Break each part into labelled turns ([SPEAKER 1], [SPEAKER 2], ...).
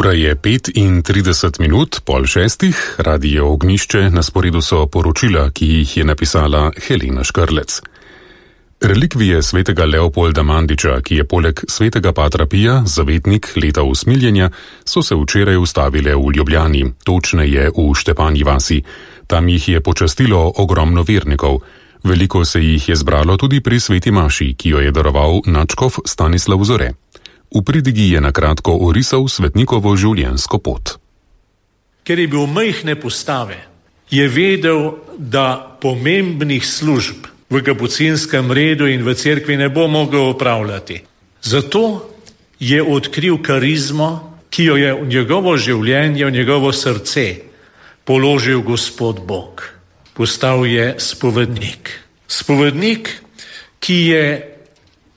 [SPEAKER 1] Ura je 5:30, 5:30, Radio Ognjišče, na sporedu so poročila, ki jih je napisala Helena Škrlec. Relikvije svetega Leopolda Mandiča, ki je poleg svetega Patra Pija zavetnik leta usmiljenja, so se včeraj ustavile v Ljubljani, točneje v Štepanji vasi. Tam jih je počastilo ogromno vernikov. Veliko se jih je zbralo tudi pri sveti maši, ki jo je daroval nadškof Stanislav Zore. V pridigi je na kratko orisal svetnikovo življenjsko pot.
[SPEAKER 2] Ker je bil majhne postave, je vedel, da pomembnih služb v kapucinskem redu in v cerkvi ne bo mogel opravljati. Zato je odkril karizmo, ki jo je v njegovo življenje, v njegovo srce položil Gospod Bog. Postal je spovednik. Spovednik, ki je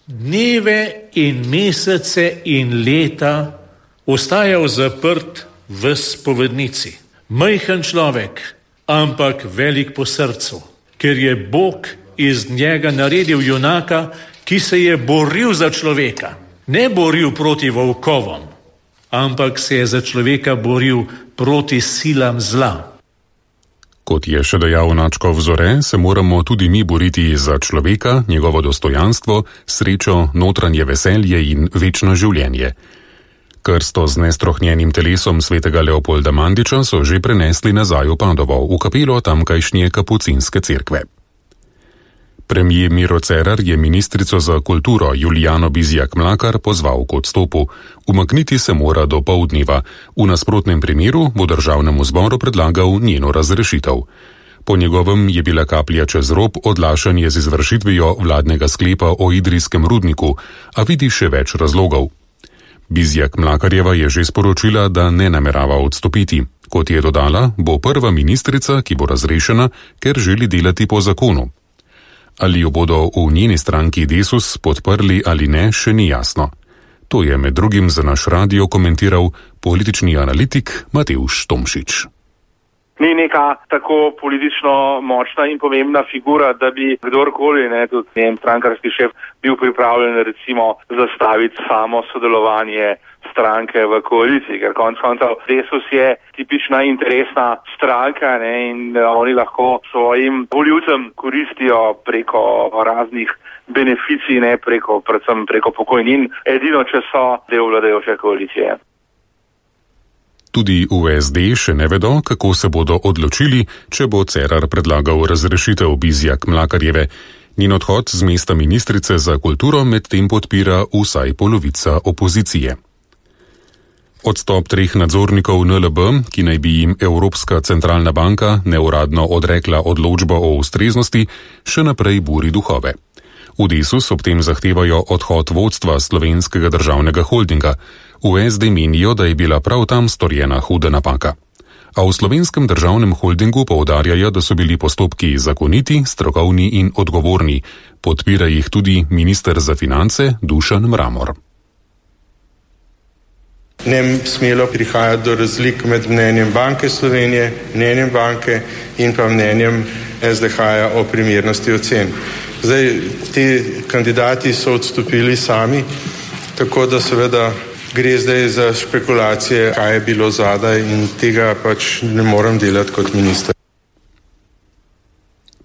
[SPEAKER 2] dneve in mesece in leta ostajal zaprt v spovednici. Majhen človek, ampak velik po srcu, ker je Bog iz njega naredil junaka, ki se je boril za človeka. Ne boril proti volkovom, ampak se je za človeka boril proti silam zla.
[SPEAKER 1] Kot je še dejal nadškof Zore, se moramo tudi mi boriti za človeka, njegovo dostojanstvo, srečo, notranje veselje in večno življenje. Krsto z nestrohnjenim telesom svetega Leopolda Mandiča so že prenesli nazaj v Padovo, v kapelo tamkajšnje kapucinske cerkve. Premier Miro Cerar je ministrico za kulturo Julijano Bizjak Mlakar pozval k odstopu. Umakniti se mora do poldneva. V nasprotnem primeru bo državnemu zboru predlagal njeno razrešitev. Po njegovem je bila kaplja čez rob odlašanje z izvršitvijo vladnega sklepa o idrijskem rudniku, a vidi še več razlogov. Bizjak Mlakarjeva je že sporočila, da ne namerava odstopiti. Kot je dodala, bo prva ministrica, ki bo razrešena, ker želi delati po zakonu. Ali jo bodo v njeni stranki Desus podprli ali ne, še ni jasno. To je med drugim za naš radio komentiral politični analitik Matevž Tomšič.
[SPEAKER 3] Ni neka tako politično močna in pomembna figura, da bi kdorkoli, tudi njen strankarski šef, bil pripravljen recimo zastaviti samo sodelovanje stranke v koaliciji, ker konec koncev Desus je tipična interesna stranka in oni lahko svojim volivcem koristijo preko raznih beneficij, predvsem preko pokojnin, edino če so del vladajoče koalicije.
[SPEAKER 1] Tudi v SD še ne vedo, kako se bodo odločili, če bo Cerar predlagal razrešitev Bizjak Mlakarjeve. Njen odhod z mesta ministrice za kulturo medtem podpira vsaj polovica opozicije. Odstop 3 nadzornikov NLB, ki naj bi jim Evropska centralna banka neuradno odrekla odločbo o ustreznosti, še naprej buri duhove. V Desus ob tem zahtevajo odhod vodstva Slovenskega državnega holdinga. V SD menijo, da je bila prav tam storjena huda napaka. A v Slovenskem državnem holdingu poudarjajo, da so bili postopki zakoniti, strokovni in odgovorni. Podpira jih tudi minister za finance Dušan Mramor.
[SPEAKER 4] Ne bi smelo prihajati do razlik med mnenjem Banke Slovenije, mnenjem banke in pa mnenjem SDH-ja o primernosti ocen. Zdaj, ti kandidati so odstopili sami, tako da seveda gre zdaj za špekulacije, kaj je bilo zadaj in tega pač ne morem delati kot minister.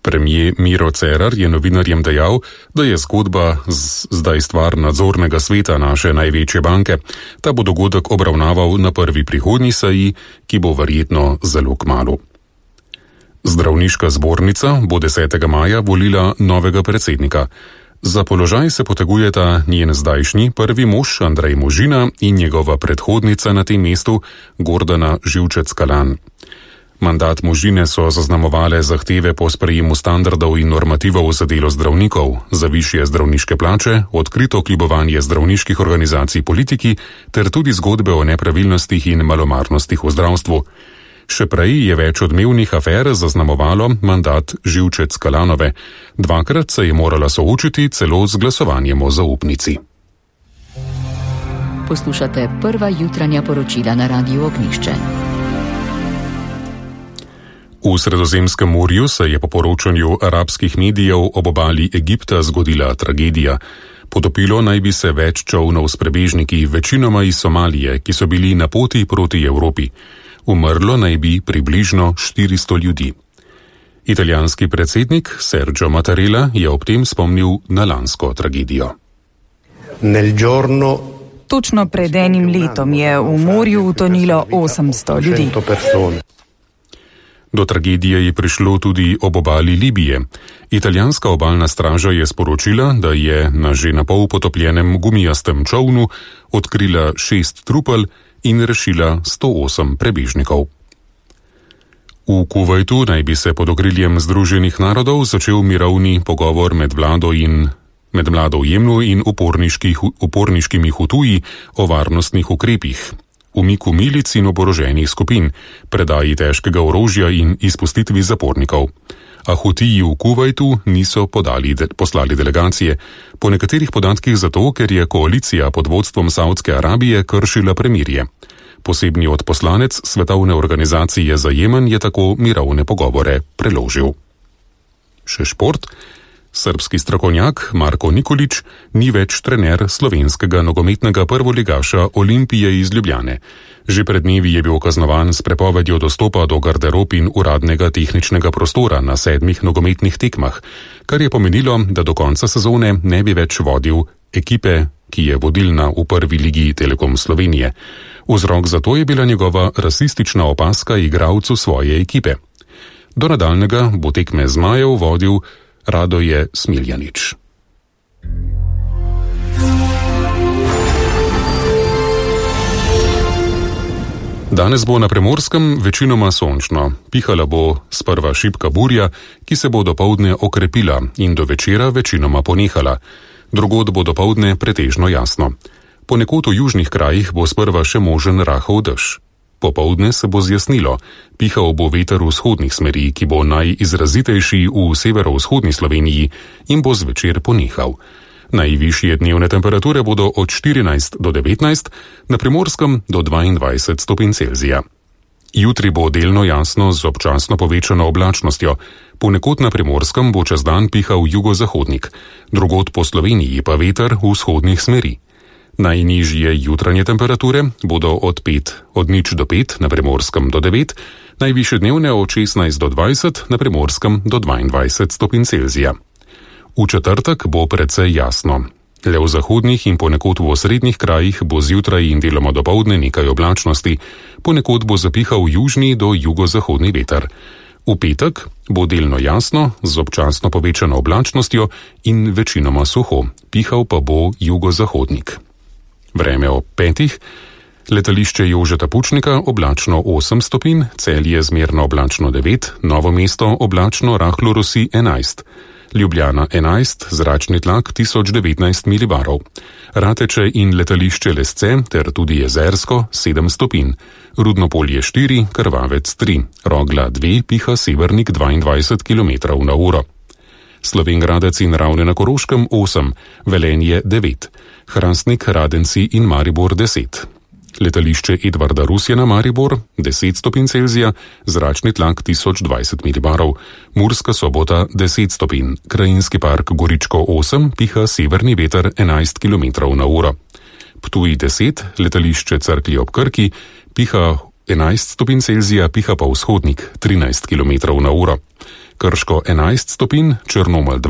[SPEAKER 1] Premier Miro Cerar je novinarjem dejal, da je zgodba zdaj stvar nadzornega sveta naše največje banke. Ta bo dogodek obravnaval na prvi prihodnji seji, ki bo verjetno zelo kmalu. Zdravniška zbornica bo 10. maja volila novega predsednika. Za položaj se potegujeta njen zdajšnji prvi mož Andrej Možina in njegova predhodnica na tem mestu Gordana Živčec-Kalan. Mandat Možine so zaznamovale zahteve po sprejemu standardov in normativov za delo zdravnikov, za višje zdravniške plače, odkrito kljubovanje zdravniških organizacij politiki ter tudi zgodbe o nepravilnostih in malomarnostih v zdravstvu. Še prej je več odmevnih afer zaznamovalo mandat Živčec-Kalanove. Dvakrat se je morala soočiti celo z glasovanjem o zaupnici.
[SPEAKER 5] Poslušate prva jutranja poročila na Radiu Ognjišče.
[SPEAKER 1] V Sredozemskem morju se je po poročanju arabskih medijev ob obali Egipta zgodila tragedija. Potopilo naj bi se več čolnov s prebežniki, večinoma iz Somalije, ki so bili na poti proti Evropi. Umrlo naj bi približno 400 ljudi. Italijanski predsednik Sergio Mattarella je ob tem spomnil na lansko tragedijo.
[SPEAKER 6] Točno pred enim letom je v morju utonilo 800 ljudi.
[SPEAKER 1] Do tragedije je prišlo tudi ob obali Libije. Italijanska obalna straža je sporočila, da je na že napol potopljenem gumijastem čolnu odkrila 6 trupel in rešila 108 prebežnikov. V Kuvajtu naj bi se pod okriljem Združenih narodov začel mirovni pogovor med vlado v Jemnu in uporniškimi Hutuji o varnostnih ukrepih, umiku milic in oboroženih skupin, predaji težkega orožja in izpustitvi zapornikov. A Hutiji v Kuvajtu niso poslali delegacije, po nekaterih podatkih zato, ker je koalicija pod vodstvom Saudske Arabije kršila premirje. Posebni odposlanec Svetovne organizacije za Jemen je tako mirovne pogovore preložil. Še šport. Srbski strokovnjak Marko Nikolić ni več trener slovenskega nogometnega prvoligaša Olimpije iz Ljubljane. Že pred dnevi je bil kaznovan s prepovedjo dostopa do garderob in uradnega tehničnega prostora na 7 nogometnih tekmah, kar je pomenilo, da do konca sezone ne bi več vodil ekipe, ki je vodilna v prvi ligi Telekom Slovenije. Vzrok za to je bila njegova rasistična opazka igralcu svoje ekipe. Do nadaljnega bo tekme zmajev vodil Radoje Smiljanić. Danes bo na Primorskem večinoma sončno. Pihala bo sprva šibka burja, ki se bo dopoldne okrepila in do večera večinoma ponehala. Drugod bo dopoldne pretežno jasno. Ponekod v južnih krajih bo sprva še možen rahel dež. Popoldne se bo zjasnilo, pihal bo veter vzhodnih smeri, ki bo najizrazitejši v severovzhodni Sloveniji in bo zvečer ponehal. Najvišje dnevne temperature bodo od 14 do 19, na Primorskem do 22 stopinj Celzija. Jutri bo delno jasno z občasno povečano oblačnostjo, ponekod na Primorskem bo čez dan pihal jugozahodnik, drugod po Sloveniji pa veter vzhodnih smeri. Najnižje jutranje temperature bodo od 0 do 5, na Primorskem do 9, najvišje dnevne od 16 do 20, na Primorskem do 22 stopinj Celzija. V četrtek bo precej jasno. Le v zahodnih in ponekod v osrednjih krajih bo zjutraj in deloma dopoldne nekaj oblačnosti, ponekod bo zapihal južni do jugozahodni veter. V petek bo delno jasno, z občasno povečano oblačnostjo in večinoma suho, pihal pa bo jugozahodnik. Vreme ob 5. Letališče Jožeta Pučnika oblačno 8 stopinj, Celje zmerno oblačno 9, Novo mesto oblačno rahlo rosi 11, Ljubljana 11, zračni tlak 1019 milibarov, Rateče in letališče Lesce ter tudi Jezersko 7 stopinj, Rudnopolje 4, Krvavec 3, Rogla 2, piha severnik 22 km/h. Slovenj Gradec in Ravne na Koroškem 8, Velenje 9, Hrastnik, Radenci in Maribor 10. Letališče Edvarda Rusjana Maribor 10 stopinj Celzija, zračni tlak 1020 milibarov, Murska Sobota 10 stopinj, Krajinski park Goričko 8, piha severni veter 11 km/h. Ptuj 10, letališče Cerklje ob Krki, piha 11 stopinj Celzija, piha pa vzhodnik 13 km/h. Krško 11 stopinj, Črnomelj 2.